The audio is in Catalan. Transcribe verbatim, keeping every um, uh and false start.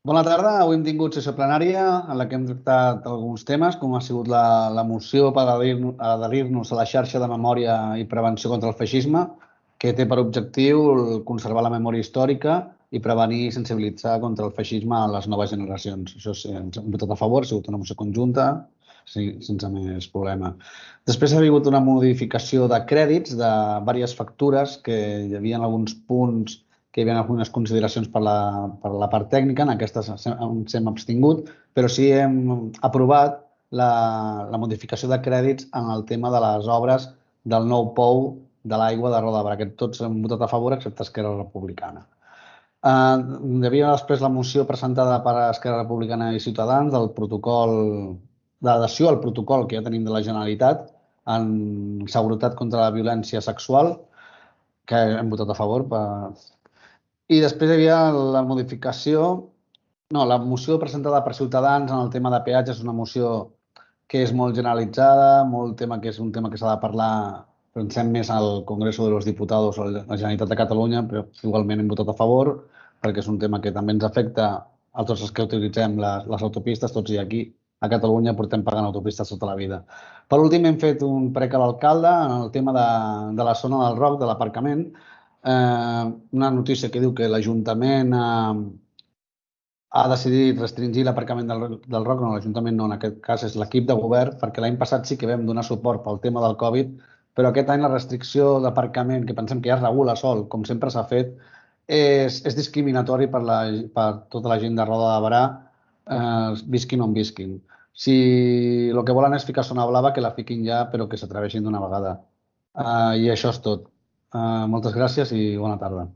Bona tarda. Avui hem tingut sessió plenària en la que hem tractat alguns temes, com ha sigut la, la moció per adherir- adherir-nos a la xarxa de memòria i prevenció contra el feixisme, que té per objectiu el- conservar la memòria històrica i prevenir i sensibilitzar contra el feixisme a les noves generacions. Això sí, ens hem votat a favor, ha sigut una moció conjunta, sí, sense més problema. Després ha hagut una modificació de crèdits de diverses factures, que hi havia alguns punts que hi havia algunes consideracions per la, per la part tècnica, en aquestes ens hem abstingut, però sí hem aprovat la, la modificació de crèdits en el tema de les obres del nou pou de l'aigua de Roda de Berà, que tots hem votat a favor, excepte Esquerra Republicana. Uh, hi havia després la moció presentada per Esquerra Republicana i Ciutadans del protocol d'adhesió al protocol que ja tenim de la Generalitat en seguretat contra la violència sexual, que hem votat a favor per, i després hi havia la modificació, no, la moció presentada per Ciutadans en el tema de peatges és una moció que és molt generalitzada, molt tema que és un tema que s'ha de parlar, pensem més al Congreso de los Diputados o a la Generalitat de Catalunya, però igualment hem votat a favor, perquè és un tema que també ens afecta a tots els que utilitzem les, les autopistes, tots i aquí a Catalunya portem pagant autopistes tota la vida. Per últim, hem fet un prec a l'alcalde en el tema de, de la zona del Roc, de l'aparcament, eh, una notícia que diu que l'Ajuntament eh, ha decidit restringir l'aparcament del, del Roc. No, l'Ajuntament no, en aquest cas és l'equip de govern, perquè l'any passat sí que vam donar suport pel tema del Covid, però aquest any la restricció d'aparcament, que pensem que ja es regula sol, com sempre s'ha fet, és, és discriminatori per, la, per tota la gent de Roda de Berà, eh, visquin on visquin. Si el que volen és ficar zona blava, que la fiquin ja, però que s'atreveixin d'una vegada. Uh, I això és tot. Uh, moltes gràcies i bona tarda.